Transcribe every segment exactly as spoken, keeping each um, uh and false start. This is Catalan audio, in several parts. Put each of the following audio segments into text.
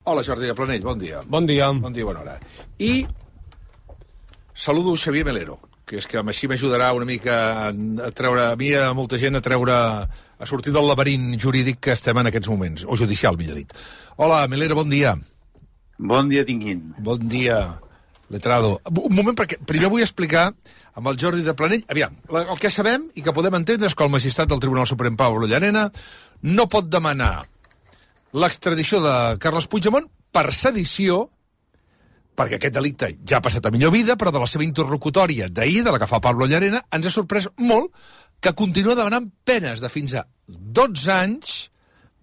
Hola, Jordi de Planell, bon dia. Bon dia. Bon dia, bona hora. I saludo Xavier Melero, que és que així m'ajudarà una mica a treure, a mi i a molta gent, a treure, a sortir del laberint jurídic que estem en aquests moments, o judicial, millor dit. Hola, Melero, bon dia. Bon dia, tinguin. Bon dia, letrado. Un moment, perquè primer vull explicar amb el Jordi de Planell. Aviam, el que sabem i que podem entendre és que el magistrat del Tribunal Suprem, Pablo Llarena, no pot demanar l'extradició de Carles Puigdemont per sedició, perquè aquest delicte ja ha passat a millor vida, però de la seva interlocutòria d'ahir, de la que fa Pablo Llarena, ens ha sorprès molt que continua demanant penes de fins a dotze anys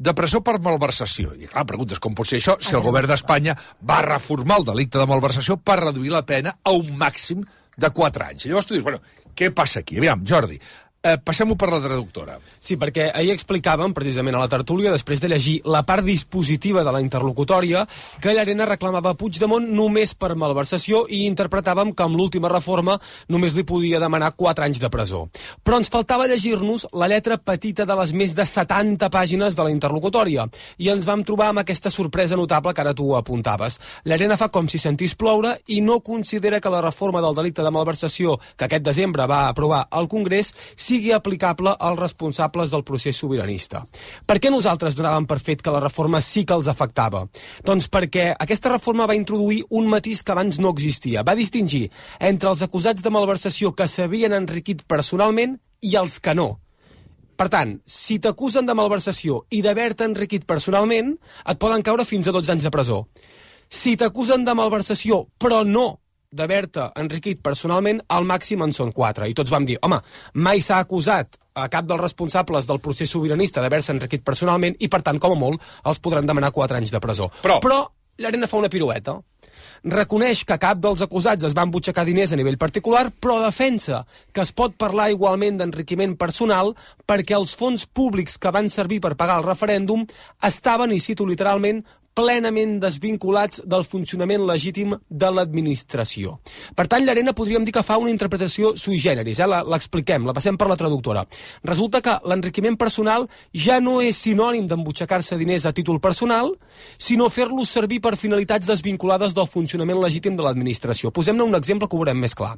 de presó per malversació. I clar, preguntes, com pot ser això si el govern d'Espanya va reformar el delicte de malversació per reduir la pena a un màxim de quatre anys. I llavors tu dius, bueno, què passa aquí? Aviam, Jordi, Eh, passem-ho per la traductora. Sí, perquè ahir explicàvem, precisament a la tertúlia, després de llegir la part dispositiva de la interlocutòria, que Llarena reclamava a Puigdemont només per malversació i interpretàvem que amb l'última reforma només li podia demanar quatre anys de presó. Però ens faltava llegir-nos la lletra petita de les més de setanta pàgines de la interlocutòria i ens vam trobar amb aquesta sorpresa notable que ara tu apuntaves. Llarena fa com si sentís ploure i no considera que la reforma del delicte de malversació que aquest desembre va aprovar al Congrés sigui aplicable als responsables del procés sobiranista. Per què nosaltres donàvem per fet que la reforma sí que els afectava? Doncs perquè aquesta reforma va introduir un matís que abans no existia. Va distingir entre els acusats de malversació que s'havien enriquit personalment i els que no. Per tant, si t'acusen de malversació i d'haver-te enriquit personalment, et poden caure fins a dotze anys de presó. Si t'acusen de malversació, però no d'haver-te enriquit personalment, al màxim en són quatre. I tots vam dir, home, mai s'ha acusat a cap dels responsables del procés sobiranista d'haver-se enriquit personalment i, per tant, com a molt, els podran demanar quatre anys de presó. Però, Però Llarena fa una pirueta. Reconeix que cap dels acusats es va embutxacar diners a nivell particular, però defensa que es pot parlar igualment d'enriquiment personal perquè els fons públics que van servir per pagar el referèndum estaven, i cito literalment, plenament desvinculats del funcionament legítim de l'administració. Per tant, Llarena podríem dir que fa una interpretació sui generis, eh? L'expliquem, la passem per la traductora. Resulta que l'enriquiment personal ja no és sinònim d'embutxacar-se diners a títol personal, sinó fer-los servir per finalitats desvinculades del funcionament legítim de l'administració. Posem-ne un exemple que ho veurem més clar.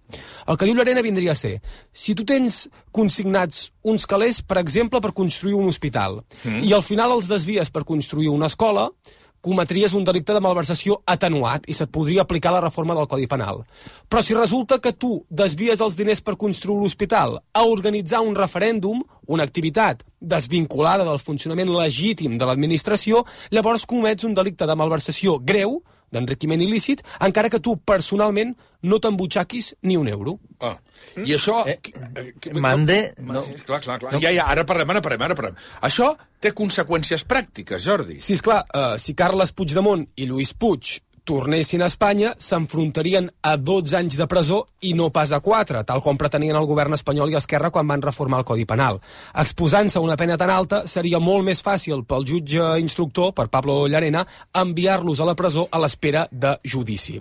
El que diu Llarena vindria a ser, si tu tens consignats uns calés, per exemple, per construir un hospital, mm. i al final els desvies per construir una escola, cometries un delicte de malversació atenuat i se't podria aplicar la reforma del Codi Penal. Però si resulta que tu desvies els diners per construir l'hospital a organitzar un referèndum, una activitat desvinculada del funcionament legítim de l'administració, llavors comets un delicte de malversació greu, d'enriquiment il·lícit, encara que tu personalment no t'embutxaquis ni un euro. Ah. I això... Eh, Mande... No. Clar, clar, clar. No. Ja, ja, ara parlem, ara parlem, ara parlem. Això té conseqüències pràctiques, Jordi. Sí, esclar, uh, si Carles Puigdemont i Lluís Puig tornessin a Espanya, s'enfrontarien a dotze anys de presó i no pas a quatre, tal com pretenien el govern espanyol i Esquerra quan van reformar el Codi Penal. Exposant-se a una pena tan alta, seria molt més fàcil pel jutge instructor, per Pablo Llarena, enviar-los a la presó a l'espera de judici.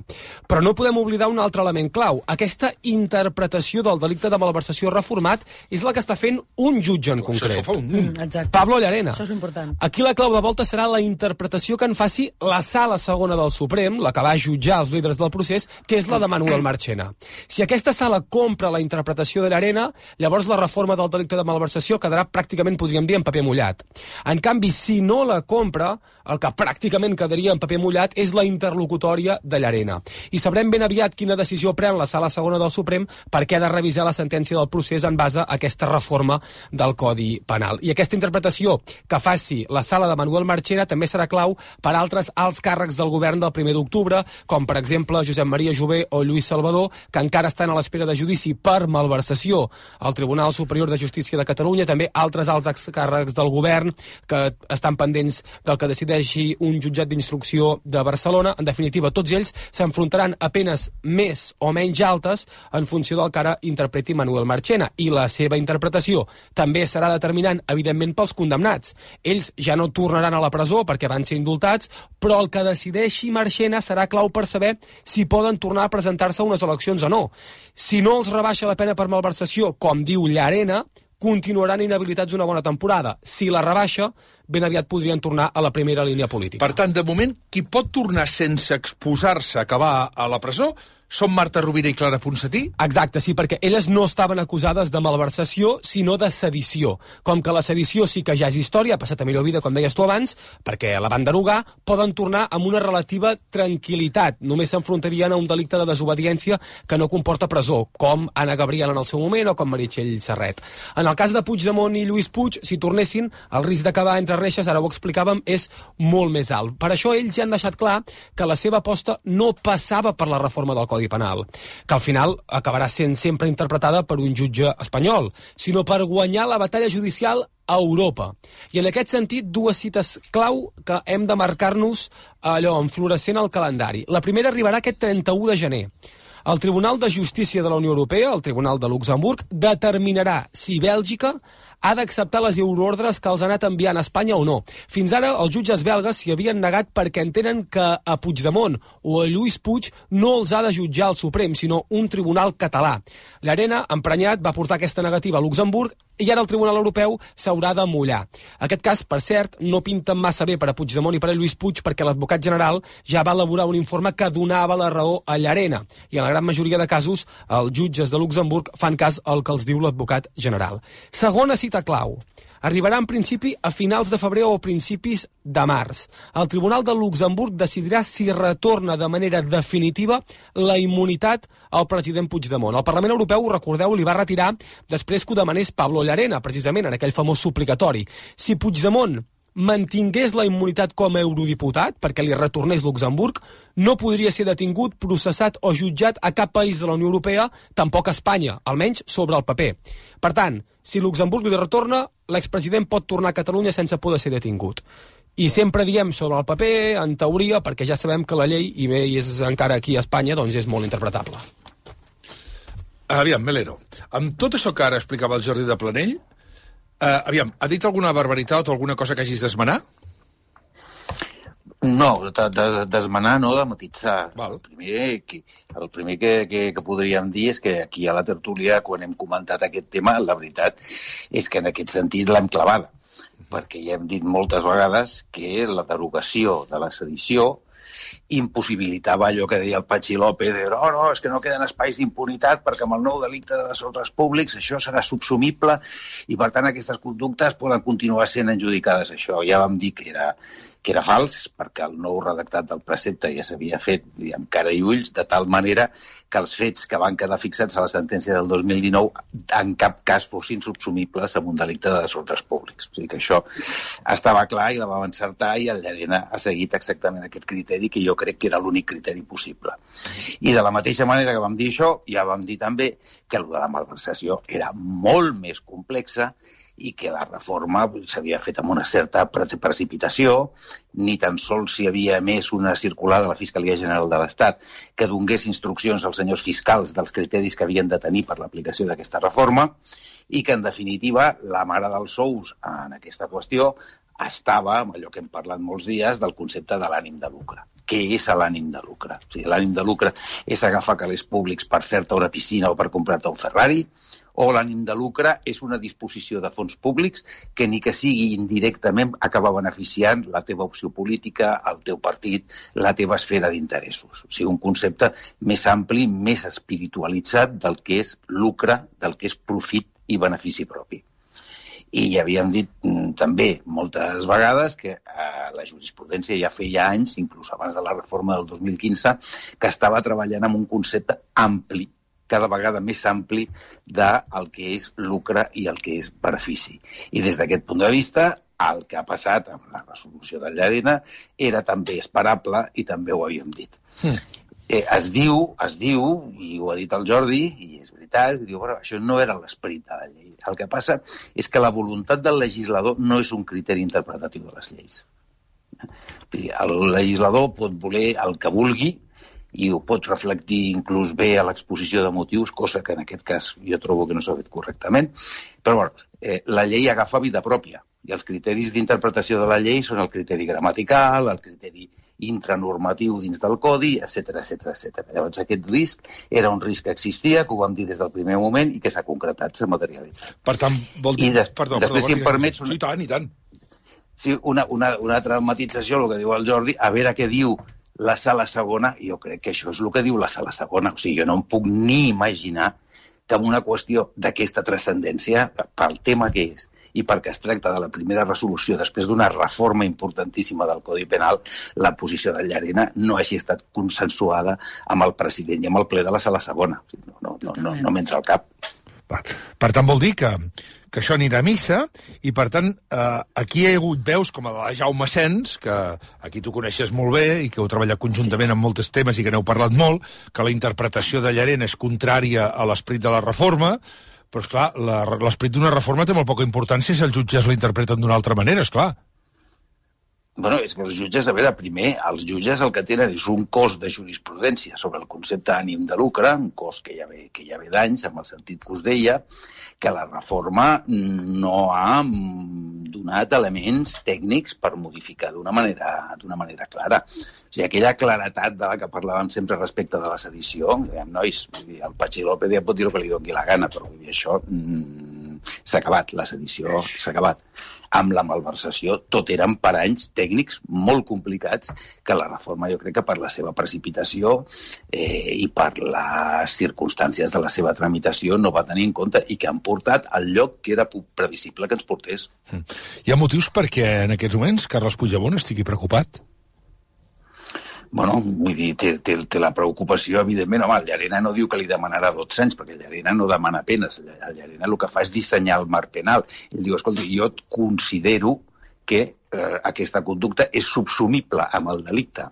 Però no podem oblidar un altre element clau. Aquesta interpretació del delicte de malversació reformat és la que està fent un jutge en concret. Això fa un munt. Exacte. Pablo Llarena. Això és important. Aquí la clau de volta serà la interpretació que en faci la Sala Segona del Suprem, la que va jutjar els líders del procés, que és la de Manuel Marchena. Si aquesta sala compra la interpretació de Llarena, llavors la reforma del delicte de malversació quedarà pràcticament, podríem dir, en paper mullat. En canvi, si no la compra, el que pràcticament quedaria en paper mullat és la interlocutòria de Llarena. I sabrem ben aviat quina decisió pren la Sala Segona del Suprem perquè ha de revisar la sentència del procés en base a aquesta reforma del Codi Penal. I aquesta interpretació que faci la sala de Manuel Marchena també serà clau per altres alts càrrecs del govern del primer d'octubre, com per exemple Josep Maria Jové o Lluís Salvador, que encara estan a l'espera de judici per malversació al Tribunal Superior de Justícia de Catalunya, també altres alts excàrrecs del govern que estan pendents del que decideixi un jutjat d'instrucció de Barcelona. En definitiva, tots ells s'enfrontaran a penes més o menys altes en funció del que ara interpreti Manuel Marchena, i la seva interpretació també serà determinant, evidentment, pels condemnats. Ells ja no tornaran a la presó perquè van ser indultats, però el que decideixi Marchena serà clau per saber si poden tornar a presentar-se a unes eleccions o no. Si no els rebaixa la pena per malversació, com diu Llarena, continuaran inhabilitats una bona temporada. Si la rebaixa, ben aviat podrien tornar a la primera línia política. Per tant, de moment, qui pot tornar sense exposar-se a acabar a la presó són Marta Rovira i Clara Ponsatí? Exacte, sí, perquè elles no estaven acusades de malversació, sinó de sedició. Com que la sedició sí que ja és història, ha passat a millor vida, com deies tu abans, perquè la van derogar, poden tornar amb una relativa tranquil·litat. Només s'enfrontarien a un delicte de desobediència que no comporta presó, com Anna Gabriel en el seu moment o com Meritxell Serret. En el cas de Puigdemont i Lluís Puig, si tornessin, el risc d'acabar entre reixes, ara ho explicàvem, és molt més alt. Per això ells ja han deixat clar que la seva aposta no passava per la reforma del Codi Penal, que al final acabarà sent sempre interpretada per un jutge espanyol, sinó per guanyar la batalla judicial a Europa. I en aquest sentit, dues cites clau que hem de marcar-nos allò en fluorescent al calendari. La primera arribarà aquest trenta-u de gener. El Tribunal de Justícia de la Unió Europea, el Tribunal de Luxemburg, determinarà si Bèlgica ha d'acceptar les euroordres que els ha anat enviant a Espanya o no. Fins ara, els jutges belgues s'hi havien negat perquè entenen que a Puigdemont o a Lluís Puig no els ha de jutjar el Suprem, sinó un tribunal català. L'Arena, emprenyat, va portar aquesta negativa a Luxemburg i ara el Tribunal Europeu s'haurà de mullar. Aquest cas, per cert, no pinta massa bé per a Puigdemont i per a Lluís Puig perquè l'advocat general ja va elaborar un informe que donava la raó a l'Arena. I en la gran majoria de casos, els jutges de Luxemburg fan cas al que els diu l'advocat general. Segona cita clau. Arribarà en principi a finals de febrer o principis de març. El Tribunal de Luxemburg decidirà si retorna de manera definitiva la immunitat al president Puigdemont. El Parlament Europeu, ho recordeu, li va retirar després que ho demanés Pablo Llarena, precisament en aquell famós suplicatori. Si Puigdemont mantingués la immunitat com a eurodiputat, perquè li retornés Luxemburg, no podria ser detingut, processat o jutjat a cap país de la Unió Europea, tampoc a Espanya, almenys sobre el paper. Per tant, si Luxemburg li retorna, l'expresident pot tornar a Catalunya sense poder ser detingut. I sempre diem sobre el paper, en teoria, perquè ja sabem que la llei, i bé, i és encara aquí a Espanya, doncs és molt interpretable. Aviam, Melero, amb tot això que ara explicava el Jordi de Planell, Uh, aviam, ha dit alguna barbaritat o alguna cosa que hagis d'esmenar? No, de, de, d'esmenar, no, de matitzar. Val. El primer, que, el primer que, que, que podríem dir és que aquí a la tertúlia, quan hem comentat aquest tema, la veritat és que en aquest sentit l'hem clavada, perquè ja hem dit moltes vegades que la derogació de la sedició impossibilitava allò que deia el Patxi López de no, no, és que no queden espais d'impunitat perquè amb el nou delicte de desordres públics això serà subsumible i per tant aquestes conductes poden continuar sent adjudicades. Això ja vam dir que era, que era fals perquè el nou redactat del precepte ja s'havia fet amb cara i ulls de tal manera que els fets que van quedar fixats a la sentència del dos mil dinou en cap cas fossin subsumibles amb un delicte de desordres públics. O sigui que això estava clar i la vam encertar i el Llarena ha seguit exactament aquest criteri que jo crec que era l'únic criteri possible. I de la mateixa manera que vam dir això, ja vam dir també que el de la malversació era molt més complexa i que la reforma s'havia fet amb una certa precipitació, ni tan sols si havia emès una circular de la Fiscalia General de l'Estat que donés instruccions als senyors fiscals dels criteris que havien de tenir per l'aplicació d'aquesta reforma i que, en definitiva, la mare dels ous en aquesta qüestió estava, amb allò que hem parlat molts dies, del concepte de l'ànim de lucre. Què és l'ànim de lucre? O sigui, l'ànim de lucre és agafar calés públics per fer-te una piscina o per comprar-te un Ferrari, o l'ànim de lucre és una disposició de fons públics que ni que sigui indirectament acaba beneficiant la teva opció política, el teu partit, la teva esfera d'interessos. O sigui, un concepte més ampli, més espiritualitzat del que és lucre, del que és profit i benefici propi. I ja havíem dit mm, també moltes vegades que eh, la jurisprudència ja feia anys, inclús abans de la reforma del dos mil quinze, que estava treballant amb un concepte ampli, cada vegada més ampli del que és lucre i el que és benefici. I des d'aquest punt de vista, el que ha passat amb la resolució de Llarena era també esperable i també ho havíem dit. Mm. Eh, es diu, es diu, i ho ha dit el Jordi, i és veritat, diu, bueno, això no era l'esperit de la llei. El que passa és que la voluntat del legislador no és un criteri interpretatiu de les lleis. El legislador pot voler el que vulgui, i ho pot reflectir inclús bé a l'exposició de motius, cosa que en aquest cas jo trobo que no s'ha fet correctament, però bueno, eh, la llei agafa vida pròpia i els criteris d'interpretació de la llei són el criteri gramatical, el criteri intranormatiu dins del codi, etcètera, etcètera, etcètera. Llavors aquest risc era un risc que existia, que ho vam dir des del primer moment i que s'ha concretat, s'ha materialitzat. Per tant, vol dir... I des, perdó, després, perdó, si em permets... Una... Sí, tant, i tant. Sí, una, una, una altra matització, el que diu el Jordi, a veure què diu la sala segona, jo crec que això és el que diu la sala segona. O sigui, jo no em puc ni imaginar que amb una qüestió d'aquesta transcendència, pel tema que és, i perquè es tracta de la primera resolució després d'una reforma importantíssima del Codi Penal, la posició de Llarena no hagi estat consensuada amb el president i amb el ple de la sala segona. No, no, no, no, no m'entra al cap. Per tant, vol dir que, que això anirà a missa, i per tant, eh, aquí hi ha hagut veus com la de Jaume Sens, que aquí tu coneixes molt bé i que heu treballat conjuntament en molts temes i que n'heu parlat molt, que la interpretació de Llarena és contrària a l'esperit de la reforma, però, esclar, l'esperit d'una reforma té molt poca importància si els jutges l'interpreten d'una altra manera, esclar. Bueno, és que els jutges, a veure, primer, els jutges el que tenen és un cos de jurisprudència sobre el concepte ànim de lucre, un cos que ja ve, que ja ve d'anys, amb el sentit que us deia, que la reforma no ha donat elements tècnics per modificar d'una manera, d'una manera clara. O sigui, aquella claretat de la que parlàvem sempre respecte de la sedició, diguem, nois, el Patxi López ja pot dir el que li doni la gana, però això mm, s'ha acabat, la sedició s'ha acabat. Amb la malversació, tot eren paranys tècnics molt complicats que la reforma, jo crec que per la seva precipitació eh, i per les circumstàncies de la seva tramitació no va tenir en compte i que han portat al lloc que era previsible que ens portés. Hi ha motius perquè en aquests moments Carles Puigdemont estigui preocupat? Bueno, vull dir, té, té, té la preocupació, evidentment. Home, el Llarena no diu que li demanarà dotze anys, perquè el Llarena no demana penes. El Llarena el que fa és dissenyar el marc penal. Ell diu, escolta, jo considero que eh, aquesta conducta és subsumible amb el delicte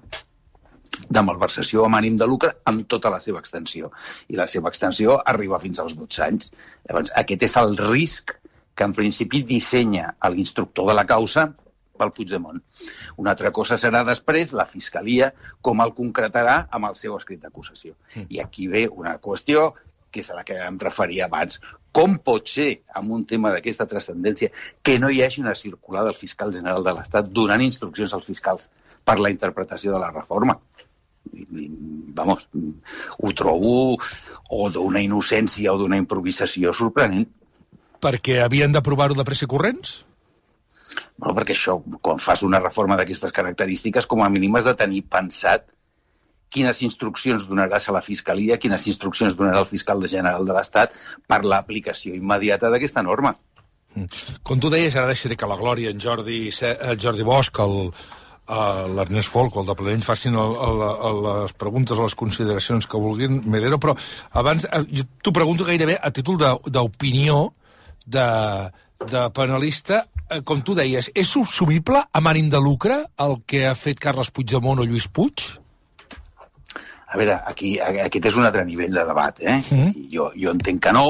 de malversació amb ànim de lucre amb tota la seva extensió. I la seva extensió arriba fins als dotze anys. Llavors, aquest és el risc que en principi dissenya l'instructor de la causa pel Puigdemont. Una altra cosa serà després la Fiscalia com el concretarà amb el seu escrit d'acusació. Mm. I aquí ve una qüestió que és a la que em referia abans. Com pot ser, amb un tema d'aquesta transcendència, que no hi hagi una circular del fiscal general de l'Estat donant instruccions als fiscals per la interpretació de la reforma? I, i, vamos, ho trobo o d'una innocència o d'una improvisació sorprenent. Perquè havien d'aprovar-ho de pressa i corrents? Bueno, perquè això, quan fas una reforma d'aquestes característiques, com a mínim has de tenir pensat quines instruccions donaràs a la Fiscalia, quines instruccions donarà el fiscal general de l'Estat per l'aplicació immediata d'aquesta norma. Com tu deies, ara deixaré que la Glòria, en Jordi, el Jordi Bosch, l'Ernest Folk o el de Planell facin el, el, el, les preguntes o les consideracions que vulguin, Melero, però abans jo t'ho pregunto gairebé a títol d'opinió de, de penalista. Com tu deies, és subsumible amb ànim de lucre el que ha fet Carles Puigdemont o Lluís Puig? A veure, aquí, aquest és un altre nivell de debat, eh? Mm-hmm. Jo, jo entenc que no,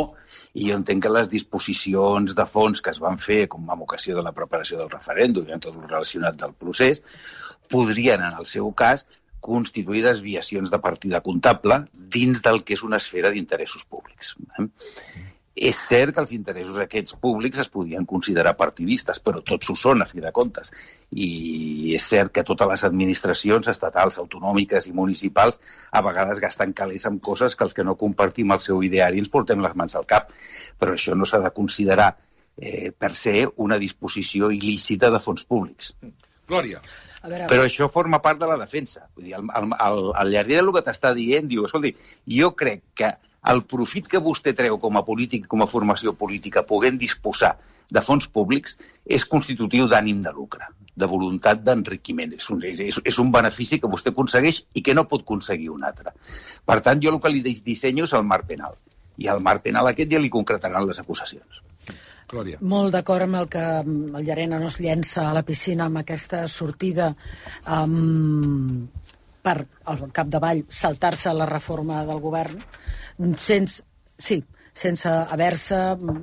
i jo entenc que les disposicions de fons que es van fer com a ocasió de la preparació del referèndum i en tot el relacionat del procés podrien, en el seu cas, constituir desviacions de partida comptable dins del que és una esfera d'interessos públics. Eh? És cert que els interessos aquests públics es podien considerar partidistes, però tots ho són, a fi de comptes. I és cert que totes les administracions estatals, autonòmiques i municipals a vegades gasten calés amb coses que els que no compartim el seu ideari ens portem les mans al cap. Però això no s'ha de considerar eh, per ser una disposició il·lícita de fons públics. Glòria. Però això forma part de la defensa. Vull dir, el, el, el, el Llarena el que t'està dient, diu, escolti, jo crec que el profit que vostè treu com a polític, com a formació política, podent disposar de fons públics, és constitutiu d'ànim de lucre, de voluntat d'enriquiment. És un, és, és un benefici que vostè aconsegueix i que no pot aconseguir un altre. Per tant, jo el que li dissenyo és el marc penal. I al marc penal aquest ja li concretaran les acusacions. Glòria. Molt d'acord amb el que el Llarena no es llença a la piscina amb aquesta sortida um, per al capdavall saltar-se la reforma del govern, sense, sí, sense haver-se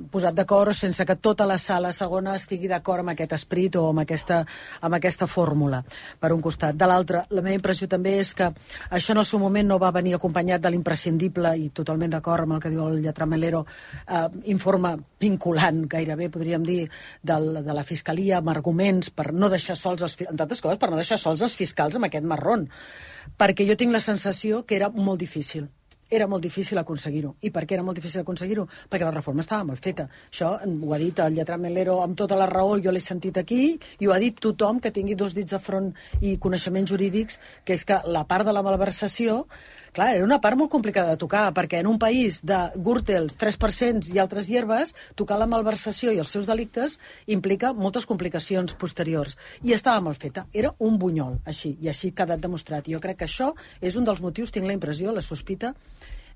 posat d'acord o sense que tota la sala segona estigui d'acord amb aquest esperit o amb aquesta, amb aquesta fórmula, per un costat. De l'altre, la meva impressió també és que això en el seu moment no va venir acompanyat de l'imprescindible, i totalment d'acord amb el que diu el Lletramelero, eh, informe vinculant, gairebé, podríem dir, del, de la Fiscalia, amb arguments per no deixar sols els, entre altres coses, per no deixar sols els fiscals amb aquest marrón. Perquè jo tinc la sensació que era molt difícil. era molt difícil aconseguir-ho. I per què era molt difícil aconseguir-ho? Perquè la reforma estava mal feta. Això ho ha dit el lletrat Melero amb tota la raó, jo l'he sentit aquí, i ho ha dit tothom que tingui dos dits de front i coneixements jurídics, que és que la part de la malversació, clar, era una part molt complicada de tocar, perquè en un país de Gürtels, tres per cent i altres hierbes, tocar la malversació i els seus delictes implica moltes complicacions posteriors. I estava mal feta. Era un bunyol, així, i així ha quedat demostrat. Jo crec que això és un dels motius, tinc la impressió, la sospita,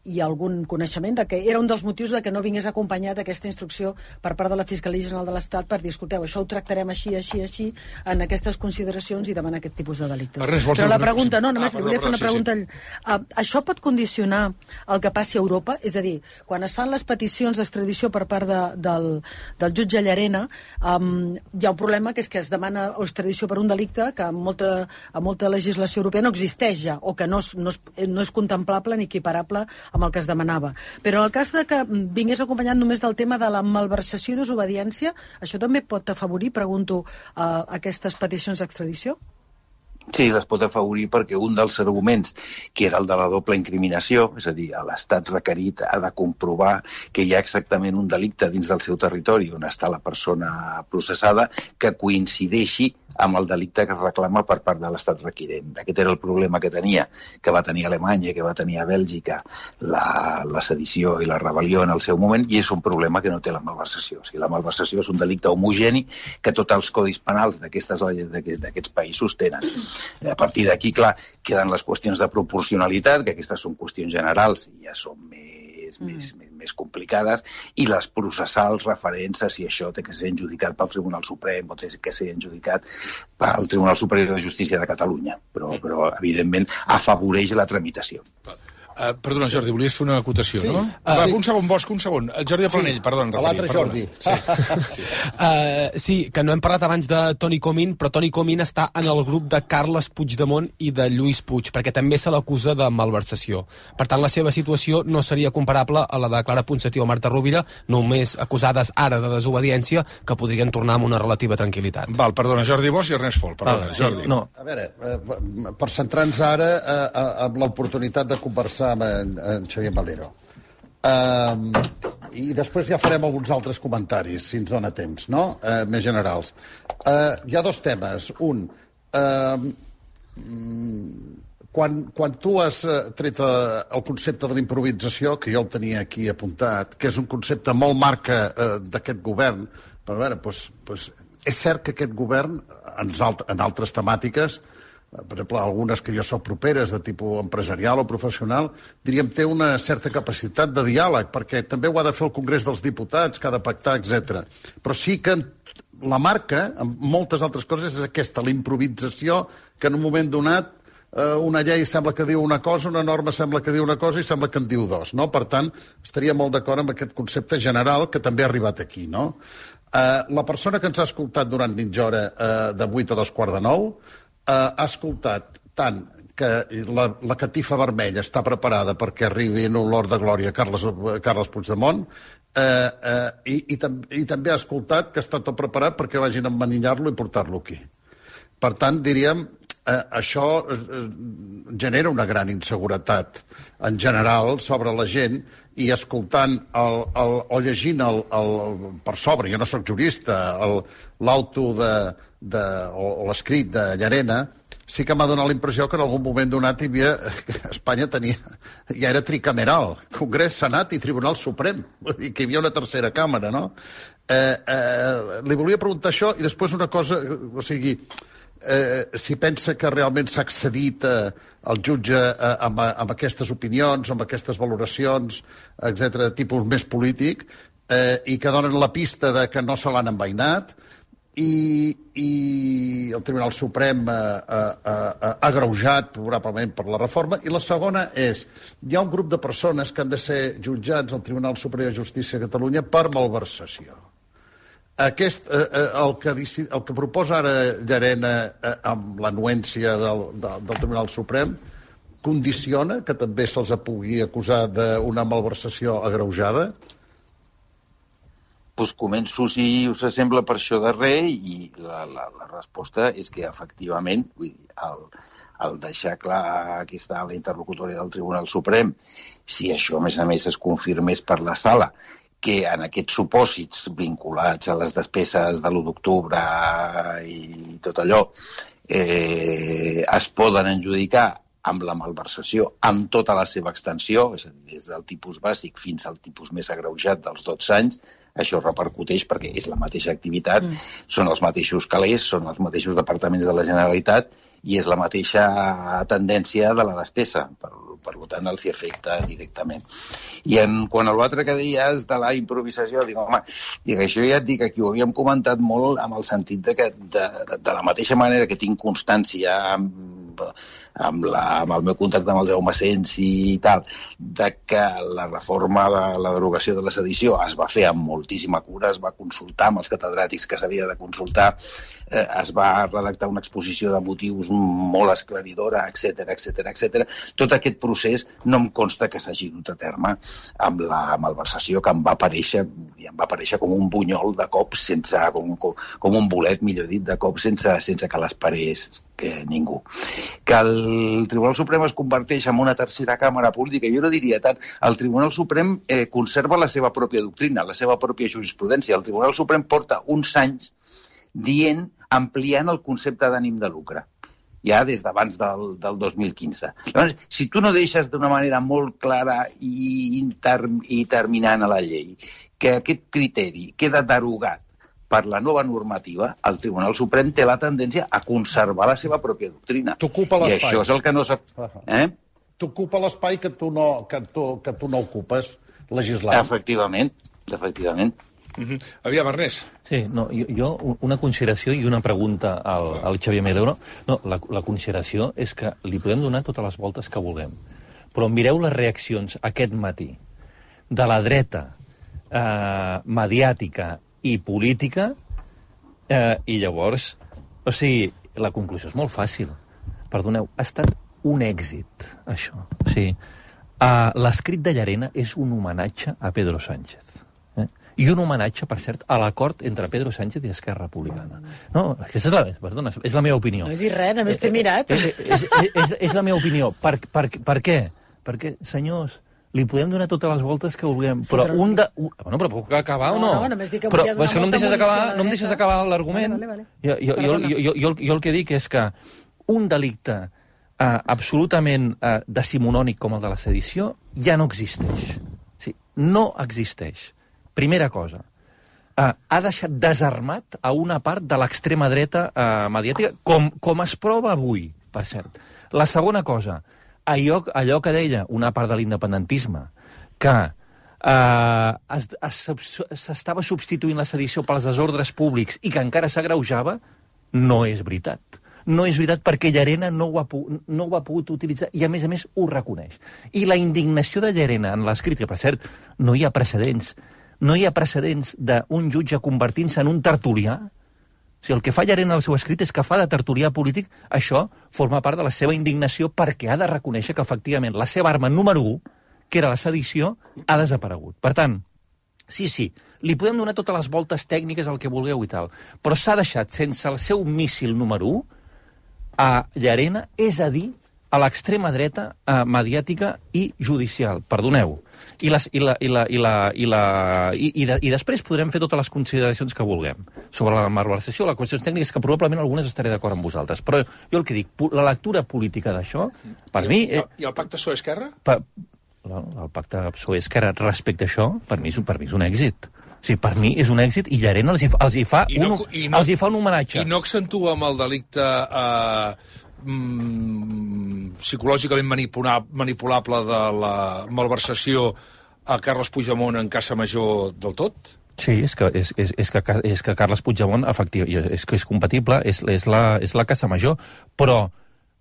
i algun coneixement de que era un dels motius de que no vingués acompanyat aquesta instrucció per part de la Fiscalia General de l'Estat per dir, escolteu, això ho tractarem així, així, així, en aquestes consideracions i demanar aquest tipus de delictes. Ernest, Però la pregunta, no, només ah, li volia fer una pregunta. Sí, sí. Uh, això pot condicionar el que passi a Europa? És a dir, quan es fan les peticions d'extradició per part de, del, del jutge Llarena, um, hi ha un problema que és que es demana extradició per un delicte que a molta, a molta legislació europea no existeix ja, o que no és, no és, no és contemplable ni equiparable amb el que es demanava. Però en el cas de que vingués acompanyat només del tema de la malversació i desobediència, això també pot afavorir, pregunto, uh, aquestes peticions d'extradició? Sí, les pot afavorir perquè un dels arguments, que era el de la doble incriminació, és a dir, l'Estat requerit ha de comprovar que hi ha exactament un delicte dins del seu territori on està la persona processada que coincideixi amb el delicte que es reclama per part de l'Estat requirent. Aquest era el problema que tenia, que va tenir Alemanya, que va tenir a Bèlgica, la, la sedició i la rebel·lió en el seu moment, i és un problema que no té la malversació. O sigui, la malversació és un delicte homogeni que tots els codis penals d'aquests països tenen. A partir d'aquí, clar, queden les qüestions de proporcionalitat, que aquestes són qüestions generals i ja són més, mm. més, més, més complicades, i les processals referents a si això té que ser adjudicat pel Tribunal Suprem o té que ser adjudicat pel Tribunal Superior de Justícia de Catalunya. Però, però evidentment, afavoreix la tramitació. Uh, perdona, Jordi, volies fer una acotació, sí. no? Uh, Va, sí. Un segon, Bosch, un segon. El Jordi de Planell, sí. perdona. L'altre Jordi. Sí. sí. Uh, sí, que no hem parlat abans de Toni Comín, però Toni Comín està en el grup de Carles Puigdemont i de Lluís Puig, perquè també se l'acusa de malversació. Per tant, la seva situació no seria comparable a la de Clara Ponsatí o Marta Rovira, només acusades ara de desobediència, que podrien tornar amb una relativa tranquil·litat. Val, perdona, Jordi Bosch i Ernest Fol. Perdona, Val, Jordi. No. A veure, eh, per centrar-nos ara eh, amb l'oportunitat de conversar amb en, en Xavier Melero. Um, I després ja farem alguns altres comentaris, si ens dona temps, no? Uh, més generals. Uh, hi ha dos temes. Un, uh, quan, quan tu has tret el concepte de l'improvisació, que jo el tenia aquí apuntat, que és un concepte molt marca uh, d'aquest govern, però a veure, doncs, doncs, és cert que aquest govern, en, alt, en altres temàtiques, per exemple, algunes que jo soc properes de tipus empresarial o professional, diríem, té una certa capacitat de diàleg, perquè també ho ha de fer el Congrés dels Diputats, que ha de pactar, etcètera. Però sí que la marca, en moltes altres coses, és aquesta, la improvisació, que en un moment donat una llei sembla que diu una cosa, una norma sembla que diu una cosa i sembla que en diu dos, no? Per tant, estaria molt d'acord amb aquest concepte general que també ha arribat aquí, no? Uh, la persona que ens ha escoltat durant mitja hora uh, de vuit a dos quarts de nou Uh, ha escoltat tant que la, la catifa vermella està preparada perquè arribi en olor de glòria Carles, Carles Puigdemont uh, uh, i, i, tam i també ha escoltat que està tot preparat perquè vagin a emmanillar-lo i portar-lo aquí. Per tant, diríem, uh, això uh, genera una gran inseguretat en general sobre la gent i escoltant el, el, o llegint el, el, per sobre, jo no sóc jurista, l'auto de De, o, o l'escrit de Llarena, sí que m'ha donat la impressió que en algun moment donat hi havia, Espanya tenia, ja era tricameral, Congrés, Senat i Tribunal Suprem, i que hi havia una tercera càmera, no? Eh, eh, li volia preguntar això i després una cosa, o sigui, eh, si pensa que realment s'ha accedit eh, el jutge eh, amb, amb aquestes opinions, amb aquestes valoracions, etcètera, de tipus més polític, eh, i que donen la pista de que no se l'han envainat, I, i el Tribunal Suprem ha eh, eh, eh, agreujat probablement per la reforma, i la segona és, hi ha un grup de persones que han de ser jutjats al Tribunal Superior de Justícia de Catalunya per malversació. Aquest, eh, eh, el, que, el que proposa ara Llarena eh, amb l'anuència del, del, del Tribunal Suprem condiciona que també se'ls pugui acusar d'una malversació agreujada? Pues començo, si us sembla, per això darrer, i la, la, la resposta és que, efectivament, vull dir, el, al deixar clar que està la interlocutòria del Tribunal Suprem, si això, a més a més, es confirmés per la sala, que en aquests supòsits vinculats a les despeses de l'u d'octubre i tot allò eh, es poden adjudicar amb la malversació, amb tota la seva extensió, és a dir, des del tipus bàsic fins al tipus més agreujat dels dotze anys, això repercuteix perquè és la mateixa activitat, mm. són els mateixos calés, són els mateixos departaments de la Generalitat i és la mateixa tendència de la despesa, per, per tant els hi afecta directament. I en quant a l'altre que deies de la improvisació, dic, home, dic, això ja et dic, aquí ho havíem comentat molt amb el sentit de que de, de, de la mateixa manera que tinc constància amb, amb, la, amb el meu contacte amb el Jaume Sens i tal, de que la reforma de la derogació de la sedició es va fer amb moltíssima cura, es va consultar amb els catedràtics que s'havia de consultar, eh, es va redactar una exposició de motius molt esclaridora, etcètera, etcètera, etcètera. Tot aquest procés no em consta que s'hagi dut a terme amb la malversació que em va aparèixer, em va aparèixer com un bunyol de cop, sense, com, com, com un bolet, millor dit, de cop, sense, sense que l'esperés que ningú. Que el Tribunal Suprem es converteix en una tercera càmera política, jo no diria tant. El Tribunal Suprem eh, conserva la seva pròpia doctrina, la seva pròpia jurisprudència. El Tribunal Suprem porta uns anys dient, ampliant el concepte d'ànim de lucre, ja des d'abans del, del dos mil quinze. Llavors, si tu no deixes d'una manera molt clara i, inter, i terminant a la llei que aquest criteri queda derogat per la nova normativa, el Tribunal Suprem té la tendència a conservar la seva pròpia doctrina. T'ocupa l'espai. I això és el que no sap... Eh? T'ocupa l'espai que tu no, que tu, que tu no ocupes legislant. Efectivament, efectivament. Uh-huh. Aviam, Ernest. Sí, no, jo, jo una consideració i una pregunta al, al Xavier Melero. No, la, la consideració és que li podem donar totes les voltes que vulguem, però mireu les reaccions aquest matí de la dreta eh, mediàtica i política eh, i llavors, o sigui, la conclusió és molt fàcil. Perdoneu, ha estat un èxit, això. O sigui, eh, l'escrit de Llarena és un homenatge a Pedro Sánchez. I un homenatge, per cert, a l'acord entre Pedro Sánchez i Esquerra Republicana. No, és la, perdona, és la meva opinió. No he dit res, només t'he mirat. És, és, és, és, és la meva opinió. Per, per, per què? Perquè, senyors, li podem donar totes les voltes que vulguem, però, sí, però un de... Un, bueno, però puc acabar no, o no? No, només dic que però, volia donar és que no em deixes acabar, no em deixes acabar l'argument. Vale, vale, vale. Jo, jo, jo, jo, jo, jo el que dic és que un delicte eh, absolutament eh, decimonònic com el de la sedició ja no existeix. Sí, no existeix. Primera cosa, eh, ha deixat desarmat a una part de l'extrema dreta eh, mediàtica, com, com es prova avui, per cert. La segona cosa, allò, allò que deia una part de l'independentisme, que eh, s'estava substituint la sedició pels desordres públics i que encara s'agreujava, no és veritat. No és veritat perquè Llarena no ho, ha, no ho ha pogut utilitzar i, a més a més, ho reconeix. I la indignació de Llarena en l'escrit, que, per cert, no hi ha precedents, no hi ha precedents d'un jutge convertint-se en un tertulià. Si el que fa Llarena al seu escrit és que fa de tertulià polític, això forma part de la seva indignació perquè ha de reconèixer que, efectivament, la seva arma número u, que era la sedició, ha desaparegut. Per tant, sí, sí, li podem donar totes les voltes tècniques al que vulgueu i tal, però s'ha deixat sense el seu míssil número u a Llarena, és a dir, a l'extrema dreta eh, mediàtica i judicial. Perdoneu. I, les, i, la, i, la, i, la, i, la, i, i, de, i després podrem fer totes les consideracions que vulguem sobre la malversació, les qüestions tècniques, que probablement algunes estaré d'acord amb vosaltres. Però jo el que dic, la lectura política d'això, per I, mi... Eh, I el pacte P S O E-Esquerra? Per, el pacte P S O E-Esquerra respecte a això, per mi, per mi és un èxit. O sigui, per mi és un èxit i Llarena els hi, els hi, fa, I no, un, i no, els hi fa un homenatge. I no accentua amb el delicte eh, mm, psicològicament manipula, manipulable de la malversació a Carles Puigdemont en Casa Major del tot? Sí, és que, és, és, és que, és que Carles Puigdemont, efectivament, és que és compatible, és, és, la, és la Casa Major, però,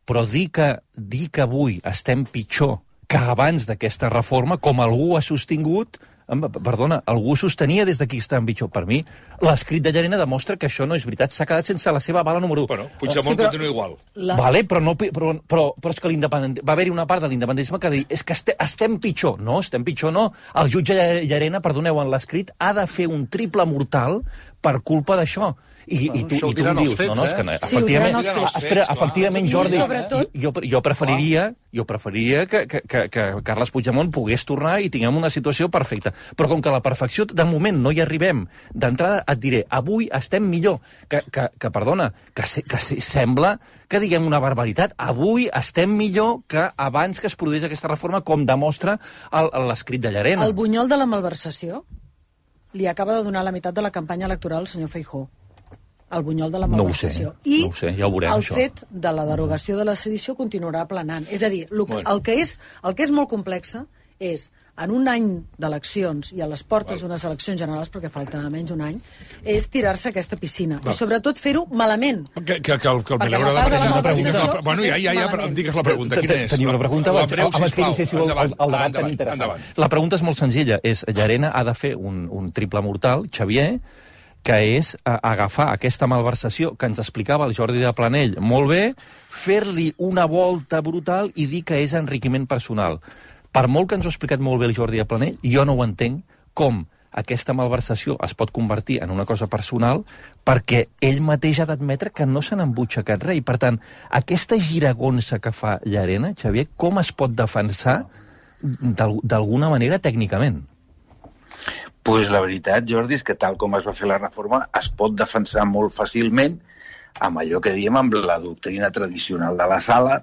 però dir, que, dir que avui estem pitjor que abans d'aquesta reforma, com algú ha sostingut, perdona, algú sostenia des d'aquí que estan pitjor. Per mi, l'escrit de Llarena demostra que això no és veritat. S'ha quedat sense la seva bala número u. Bueno, Puigdemont sí, però... continua igual. La... Vale, però, no, però, però, però és que l'independent... va haver-hi una part de l'independentisme que dir és que este, estem pitjor. No, estem pitjor no. El jutge Llarena, perdoneu, en l'escrit, ha de fer un triple mortal per culpa d'això. I, Bueno, i tu, això ho i tu diran em els dius, fets, no, no, és eh? que no, Sí, ho efectivament, diran els fets. espera, efectivament, I Jordi, sobretot- jo, jo preferiria, jo preferiria que, que, que, que Carles Puigdemont pogués tornar i tinguem una situació perfecta. Però com que a la perfecció, de moment, no hi arribem, d'entrada et diré, avui estem millor, que, que, que perdona, que, se, que se, sembla que diguem una barbaritat. Avui estem millor que abans que es produís aquesta reforma, com demostra l'escrit de Llarena. El bunyol de la malversació li acaba de donar la meitat de la campanya electoral al senyor Feijóo. El bunyol de la No ho sé, malversació. I no ho sé, ja ho veurem, el això. fet de la derogació de la sedició continuarà planant. És a dir, el que, Bueno. el que, és, el que és molt complex és, en un any d'eleccions i a les portes d'unes eleccions generals, perquè falta menys un any, és tirar-se aquesta piscina. I sobretot fer-ho malament. Que, que, que el, que el Perquè Milagro la part de la de malversació Bueno, ja, ja, ja, però em digues la pregunta. Quina és? Teniu una pregunta La abans, breu, abans que sisplau. iniciéssiu el, el, el debat endavant, tan interessant. endavant. La pregunta és molt senzilla. És, Llarena ha de fer un, un triple mortal, Xavier, que és a, agafar aquesta malversació que ens explicava el Jordi de Planell molt bé, fer-li una volta brutal i dir que és enriquiment personal. Per molt que ens ho ha explicat molt bé el Jordi de Planell, jo no ho entenc com aquesta malversació es pot convertir en una cosa personal perquè ell mateix ha d'admetre que no se n'ha embutxacat res. I, per tant, aquesta giragonsa que fa Llarena, Xavier, com es pot defensar d'alguna manera tècnicament? Pues la veritat, Jordi, és que tal com es va fer la reforma es pot defensar molt fàcilment amb allò que diem amb la doctrina tradicional de la sala,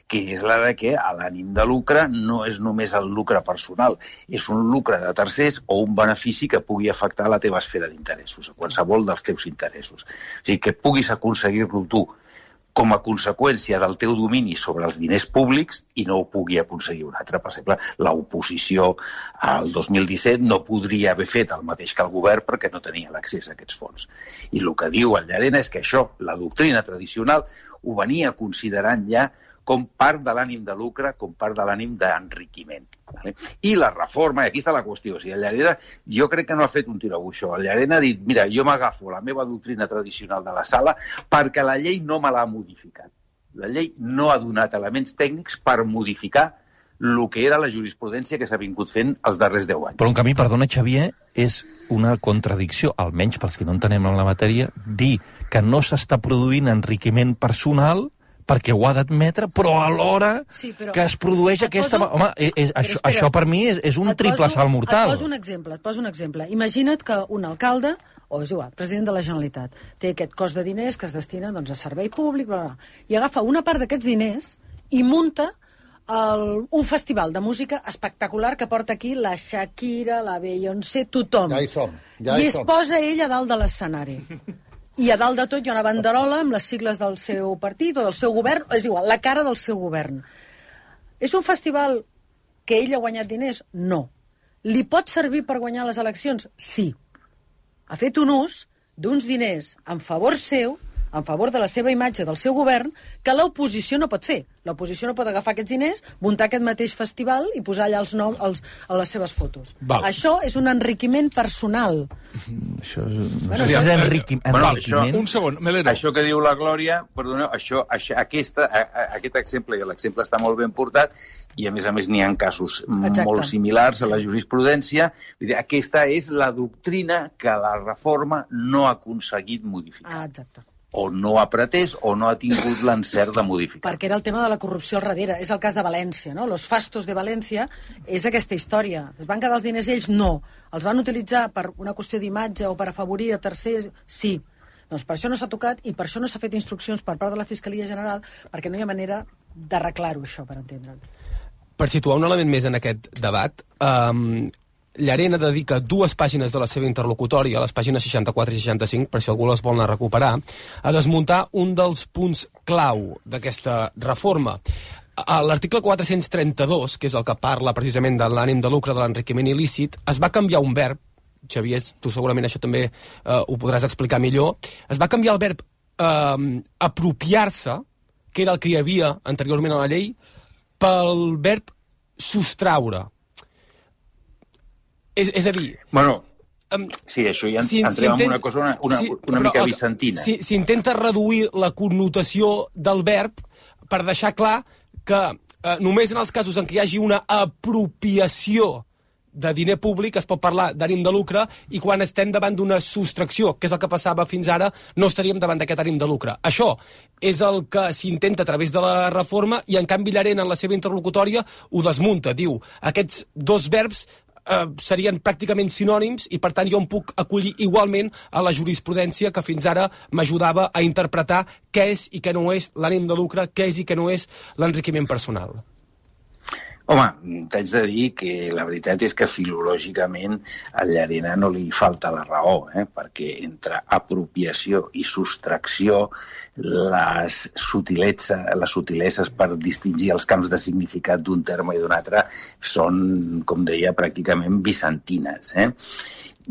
que és la de que l'ànim de lucre no és només el lucre personal, és un lucre de tercers o un benefici que pugui afectar la teva esfera d'interessos, a qualsevol dels teus interessos. O sigui, que puguis aconseguir-lo tu com a conseqüència del teu domini sobre els diners públics i no ho pugui aconseguir un altre. Per exemple, l'oposició al dos mil disset no podria haver fet el mateix que el govern perquè no tenia l'accés a aquests fons. I el que diu el Llarena és que això, la doctrina tradicional, ho venia considerant ja com part de l'ànim de lucre, com part de l'ànim d'enriquiment. Vale? I la reforma, i aquí està la qüestió, o sigui, el Llarena, jo crec que no ha fet un tiro a buixó. El Llarena ha dit, mira, jo m'agafo la meva doctrina tradicional de la sala perquè la llei no me l'ha modificat. La llei no ha donat elements tècnics per modificar el que era la jurisprudència que s'ha vingut fent els darrers deu anys. Però en canvi, perdona, Xavier, és una contradicció, almenys pels que no entenem en la matèria, dir que no s'està produint enriquiment personal perquè ho ha d'admetre, però alhora sí, però que es produeix aquesta... poso... Home, és, és, això, espera, això per mi és, és un triple poso, salt mortal. Et poso un exemple, et poso un exemple. Imagina't que un alcalde, o és igual, president de la Generalitat, té aquest cost de diners que es destina doncs, a servei públic, bla, bla, i agafa una part d'aquests diners i munta el, un festival de música espectacular que porta aquí la Shakira, la Beyoncé, tothom. Ja hi som, ja I hi es som. posa ell a dalt de l'escenari. I a dalt de tot hi ha una banderola amb les sigles del seu partit o del seu govern, és igual, la cara del seu govern. És un festival que ell ha guanyat diners? No. Li pot servir per guanyar les eleccions? Sí. Ha fet un ús d'uns diners en favor seu, en favor de la seva imatge, del seu govern, que l'oposició no pot fer. L'oposició no pot agafar aquests diners, muntar aquest mateix festival i posar allà els noms els, a les seves fotos. Val. Això és un enriquiment personal. Això és, Bueno, això és això- enriqui, Bueno, enriquiment. Un segon, Melero. Això que diu la Glòria, perdoneu, això, això, aquesta, a, a, aquest exemple, i l'exemple està molt ben portat, i a més a més n'hi ha casos Exacte. molt similars a la jurisprudència. Vull dir, aquesta és la doctrina que la reforma no ha aconseguit modificar. Ah, exacte. O no ha pretès o no ha tingut l'encert de modificar. Perquè era el tema de la corrupció al darrere. És el cas de València, no? Los fastos de València és aquesta història. Es van quedar els diners ells? No. Els van utilitzar per una qüestió d'imatge o per afavorir a tercers? Sí. Doncs per això no s'ha tocat i per això no s'ha fet instruccions per part de la Fiscalia General, perquè no hi ha manera d'arreglar-ho, això, per entendre'ns. Per situar un element més en aquest debat, um, Llarena dedica dues pàgines de la seva interlocutòria, les pàgines seixanta-quatre i seixanta-cinc, per si algú les vol anar a recuperar, a desmuntar un dels punts clau d'aquesta reforma. A l'article quatre-cents trenta-dos, que és el que parla precisament de l'ànim de lucre de l'enriquiment il·lícit, es va canviar un verb, Xavier, tu segurament això també eh, ho podràs explicar millor, es va canviar el verb eh, apropiar-se, que era el que hi havia anteriorment a la llei, pel verb sostraure. És, és a dir... Bueno, Um, sí, això ja si- entrem si en intent- una cosa una, una, sí, una però mica el- bizantina. Si s'intenta reduir la connotació del verb per deixar clar que eh, només en els casos en què hi hagi una apropiació de diner públic es pot parlar d'ànim de lucre, i quan estem davant d'una sostracció, que és el que passava fins ara, no estaríem davant d'aquest ànim de lucre. Això és el que s'intenta a través de la reforma, i en canvi Llarena en la seva interlocutòria ho desmunta. Diu, aquests dos verbs eh, serien pràcticament sinònims, i per tant jo em puc acollir igualment a la jurisprudència que fins ara m'ajudava a interpretar què és i què no és l'ànim de lucre, què és i què no és l'enriquiment personal. Home, t'haig de dir que la veritat és que filològicament a Llarena no li falta la raó, eh? perquè entre apropiació i sostracció les sutilesa, les sutilesses per distingir els camps de significat d'un terme i d'un altre són, com deia, pràcticament bizantines. Eh?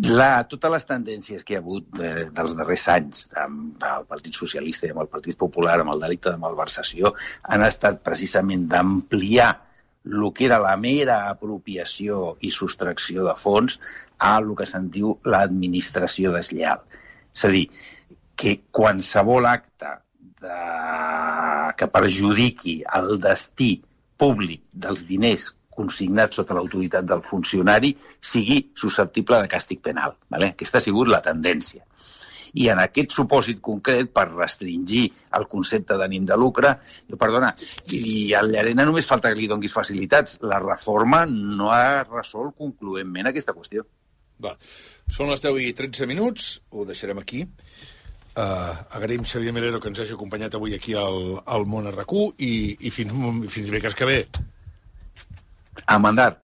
La, totes les tendències que hi ha hagut eh, dels darrers anys amb el Partit Socialista i amb el Partit Popular, amb el delicte de malversació, han estat precisament d'ampliar el que era la mera apropiació i sostracció de fons a el que se'n diu l'administració deslleial. És a dir, que qualsevol acte de... que perjudiqui el destí públic dels diners consignats sota l'autoritat del funcionari sigui susceptible de càstig penal. Vale? Aquesta ha sigut la tendència. I en aquest supòsit concret, per restringir el concepte d'ànim de lucre, jo, perdona, i al Llarena només falta que li donguis facilitats. La reforma no ha resolt concloentment aquesta qüestió. Va, són les deu i tretze minuts, ho deixarem aquí. Uh, agraïm Xavier Melero que ens hagi acompanyat avui aquí al, al Món a RAC u, i, i fins, fins dimecres que ve. A mandar.